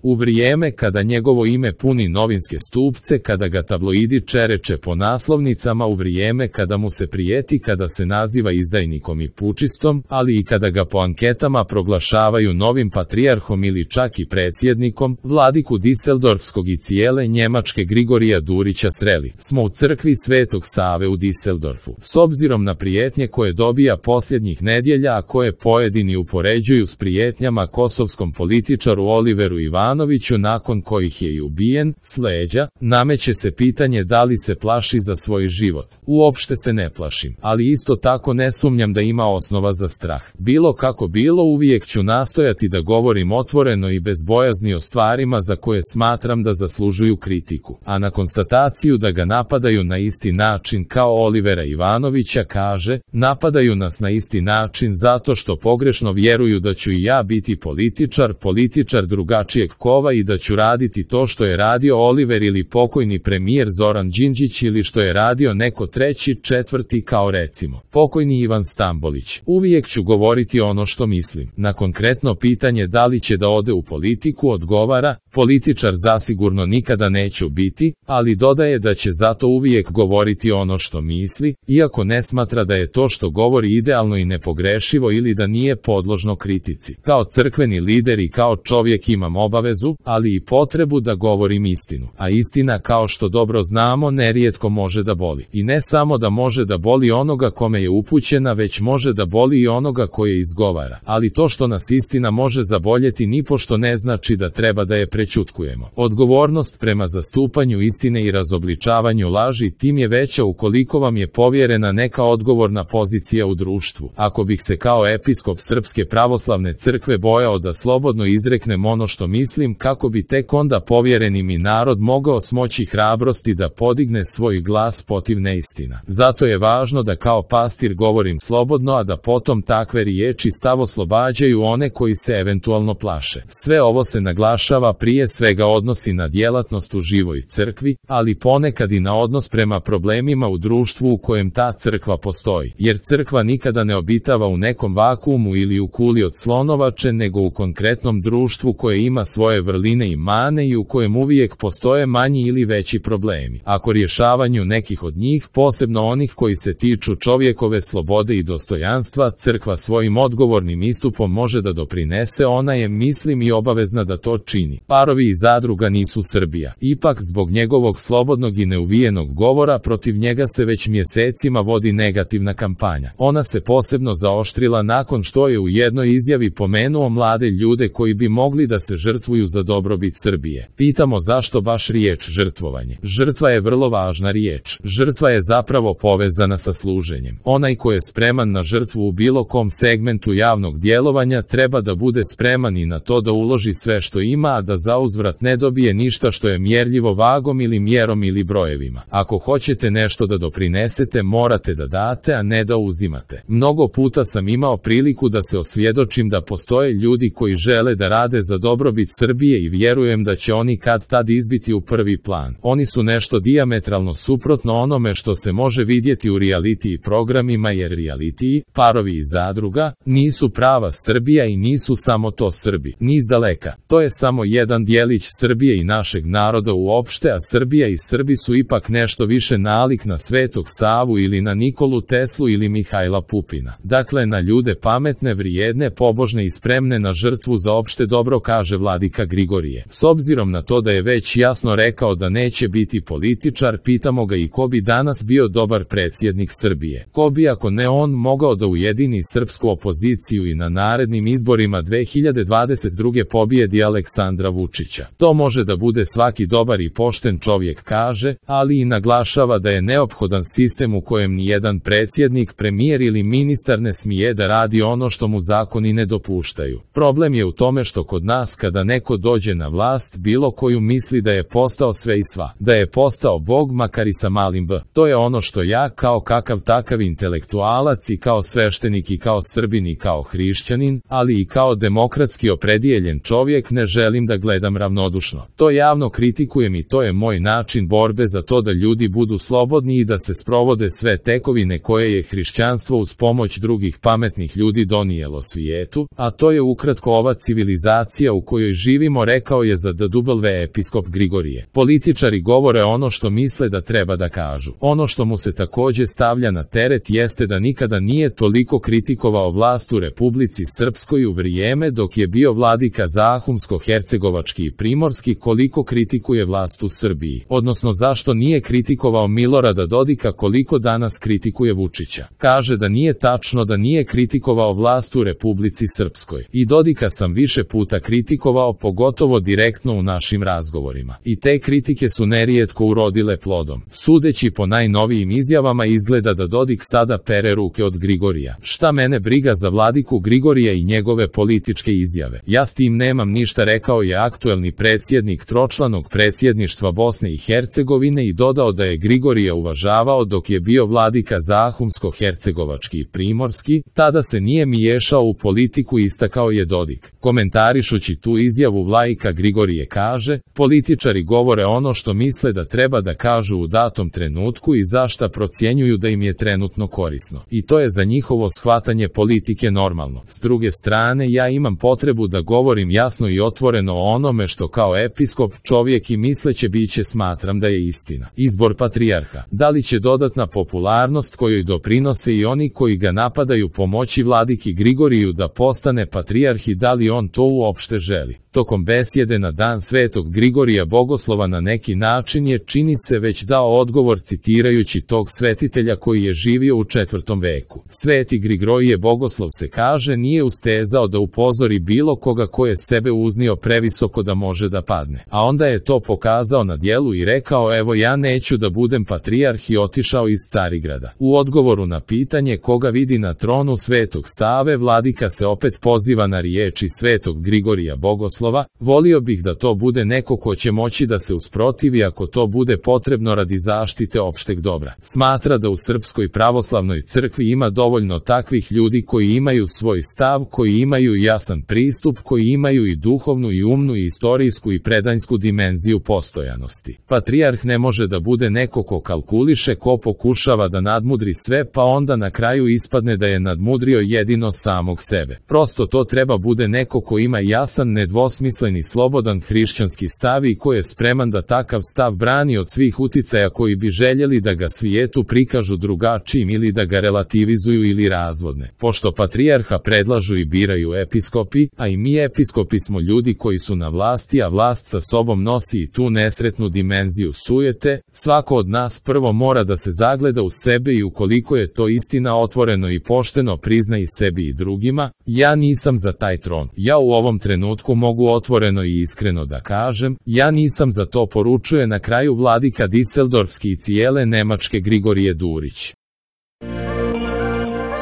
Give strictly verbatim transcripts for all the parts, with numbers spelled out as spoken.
U vrijeme kada njegovo ime puni novinske stupce, kada ga tabloidi čereče po naslovnicama, u vrijeme kada mu se prijeti, kada se naziva izdajnikom i pučistom, ali i kada ga po anketama proglašavaju novim patrijarhom ili čak i predsjednikom, vladiku Diseldorfskog i cijele Njemačke Grigorija Durića sreli smo u crkvi Svetog Save u Diseldorfu. S obzirom na prijetnje koje dobija posljednjih nedjelja, a koje pojedini upoređuju s prijetnjama kosovskom političaru Oliveru Ivanoviću nakon kojih je i ubijen, s leđa, nameće se pitanje da li se plaši za svoj život. Uopšte se ne plašim, ali isto tako ne sumnjam da ima osnova za strah. Bilo kako bilo, uvijek ću nastojati da govorim otvoreno i bez bojazni o stvarima za koje smatram da zaslužuju kritiku, a na konstataciju da ga napadaju na isti način kao Olivera Ivanovića kaže, napadaju nas na isti način zato što pogrešno vjeruju da ću i ja biti političar, političar drugačijeg kova i da ću raditi to što je radio Oliver ili pokojni premijer Zoran Đinđić ili što je radio neko treći, četvrti kao recimo pokojni Ivan Stambolić. Uvijek ću govoriti ono što mislim. Na konkretno pitanje da li će da ode u politiku odgovara, političar zasigurno nikada neću biti, ali dodaje da će zato uvijek govoriti ono što misli, iako ne smatra da je to što govori idealno i nepogrešivo ili da nije podložno kritici. Kao crkveni lider i kao čovjek imam obavezu, ali i potrebu da govorim istinu. A istina, kao što dobro znamo, nerijetko može da boli. I ne samo da može da boli onoga kome je upućena, već može da boli i onoga koje izgovara. Ali to što nas istina može zaboljeti nipošto ne znači da treba da je prećutkujemo. Odgovornost prema zastupanju istine i razobličavanju laži tim je veća ukoliko vam je povjerena neka odgovorna pozicija u društvu. Ako bih se kao episkop Srpske pravoslavne crkve bojao da slobodno izreknem ono što mislim, kako bi tek onda povjereni mi narod mogao smoći hrabrosti da podigne svoj glas protiv neistina. Zato je važno da kao pastir govorim slobodno, a da potom takve riječi stav oslobađaju one koji se eventualno plaše. Sve ovo se naglašava prije svega odnosi na djelatnost u živoj crkvi, ali ponekad i na odnos prema problemima u društvu u kojem ta crkva postoji, jer crkva nikada ne obitava u nekom vakuumu ili u kuli od slonovače, nego u konkretnom društvu koje ima svoje vrline i mane i u kojem uvijek postoje manji ili veći problemi. Ako rješavanju nekih od njih, posebno onih koji se tiču čovjekove slobode i dostojanstva, crkva svojim odgovornim istupom može da doprinese, ona je, mislim, i obavezna da to čini. Parovi i zadruga nisu Srbija. Ipak zbog njegovog slobodnog i neuvijenog govora protiv njega se već mjesecima vodi negativna kampanja. Ona se posebno zaoštrila nakon što je u jednoj izjavi pomenuo mlade ljude koji bi mogli da se žrtvuju za dobrobit Srbije. Pitamo zašto baš riječ žrtvovanje. Žrtva je vrlo važna riječ. Žrtva je zapravo povezana sa služenjem. Onaj ko je spreman na žrtvu u bilo kom segmentu javnog djelovanja treba da bude spreman i na to da uloži sve što ima, a da zauzvrat ne dobije ništa što je mjerljivo vagom ili mjerom ili brojevima. Ako hoćete nešto da doprinesete, morate da date, a ne da uzimate. Mnogo puta sam imao priliku da se osvjedočim da postoje ljudi koji žele da rade za dobrobit Srbije i vjerujem da će oni kad tad izbiti u prvi plan. Oni su nešto dijametralno suprotno onome što se može vidjeti u reality programima, jer reality, parovi i zadruga, nisu prava Srbija i nisu samo to Srbi. Ni izdaleka. To je samo jedan dijelić Srbije i našeg naroda uopšte, a Srbija i Srbi su ipak nešto više nalik na Svetog Savu ili na Nikolu Teslu ili Mihajla Pupina. Dakle, na ljude pametne, vrijedne, pobožne i spremne na žrtvu za opšte dobro, kaže vladika Grigorije. S obzirom na to da je već jasno rekao da neće biti političar, pitamo ga i ko bi danas bio dobar predsjednik Srbije. Ko bi, ako ne on, mogao da ujedini srpsku opoziciju i na narednim izborima dve hiljade dvadeset druge pobijedi Aleksandra Vučića. To može da bude svaki dobar i pošten čovjek, kaže, ali i naglašava da je neophodan sistem u kojem nijedan predsjednik, premijer ili ministar ne smije da radi ono što mu zakoni ne dopuštaju. Problem je u tome što kod nas kada neko dođe na vlast, bilo koju, misli da je postao sve i sva, da je postao Bog, makar i sa malim b. To je ono što ja kao kakav takav intelektualac i kao sveštenik i kao Srbin i kao hrišćanin, ali i kao demokratski opredijeljen čovjek ne želim da gledam ravnodušno. To javno kritikujem i to je moj način borbe za to da ljudi budu slobodni i da se sprovode sve tekovine koje je hrišćanstvo uz pomoć drugih pametnih ljudi donijelo svijetu, a to je ukratko ova civilizacija u kojoj živi živimo, rekao je za D W episkop Grigorije. Političari govore ono što misle da treba da kažu. Ono što mu se takođe stavlja na teret jeste da nikada nije toliko kritikovao vlast u Republici Srpskoj u vrijeme dok je bio vladika Zahumsko-hercegovački i primorski koliko kritikuje vlast u Srbiji, odnosno zašto nije kritikovao Milorada Dodika koliko danas kritikuje Vučića. Kaže da nije tačno da nije kritikovao vlast u Republici Srpskoj. I Dodika sam više puta kritikovao, pogotovo direktno u našim razgovorima. I te kritike su nerijetko urodile plodom. Sudeći po najnovijim izjavama izgleda da Dodik sada pere ruke od Grigorija. Šta mene briga za vladiku Grigorija i njegove političke izjave? Ja s tim nemam ništa, rekao je aktuelni predsjednik tročlanog predsjedništva Bosne i Hercegovine i dodao da je Grigorija uvažavao dok je bio vladika Zahumsko-hercegovački i primorski, tada se nije miješao u politiku, istakao je Dodik. Komentarišući tu izjavu vlajka Grigorije kaže, političari govore ono što misle da treba da kažu u datom trenutku i zašta procjenjuju da im je trenutno korisno. I to je za njihovo shvatanje politike normalno. S druge strane, ja imam potrebu da govorim jasno i otvoreno o onome što kao episkop, čovjek i misleće biće smatram da je istina. Izbor patrijarha. Da li će dodatna popularnost kojoj doprinose i oni koji ga napadaju pomoći vladiki Grigoriju da postane patrijarh i da li on to uopšte želi? Tokom besjede na dan Svetog Grigorija Bogoslova na neki način je, čini se, već dao odgovor citirajući tog svetitelja koji je živio u četvrtom veku. Sveti Grigorije Bogoslov, se kaže, nije ustezao da upozori bilo koga ko je sebe uznio previsoko da može da padne. A onda je to pokazao na djelu i rekao, evo ja neću da budem patrijarh, i otišao iz Carigrada. U odgovoru na pitanje koga vidi na tronu Svetog Save, vladika se opet poziva na riječi Svetog Grigorija Bogoslova. Volio bih da to bude neko ko će moći da se usprotivi ako to bude potrebno radi zaštite opšteg dobra. Smatra da u Srpskoj pravoslavnoj crkvi ima dovoljno takvih ljudi koji imaju svoj stav, koji imaju jasan pristup, koji imaju i duhovnu i umnu i istorijsku i predanjsku dimenziju postojanosti. Patrijarh ne može da bude neko ko kalkuliše, ko pokušava da nadmudri sve pa onda na kraju ispadne da je nadmudrio jedino samog sebe. Prosto to treba bude neko ko ima jasan, nedvosmislen smisleni, slobodan hrišćanski stav i ko je spreman da takav stav brani od svih uticaja koji bi željeli da ga svijetu prikažu drugačijim ili da ga relativizuju ili razvodne. Pošto patrijarha predlažu i biraju episkopi, a i mi episkopi smo ljudi koji su na vlasti, a vlast sa sobom nosi i tu nesretnu dimenziju sujete, svako od nas prvo mora da se zagleda u sebe i ukoliko je to istina otvoreno i pošteno prizna i sebi i drugima. Ja nisam za taj tron. Ja u ovom trenutku mogu otvoreno i iskreno da kažem, ja nisam za to, poručuje na kraju vladika Diseldorfski i cijele Nemačke Grigorije Durić.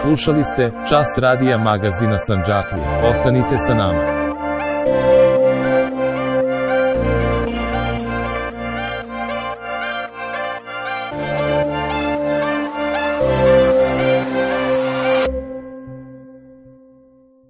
Slušali ste Čas radija magazina Sandžaklija. Ostanite sa nama.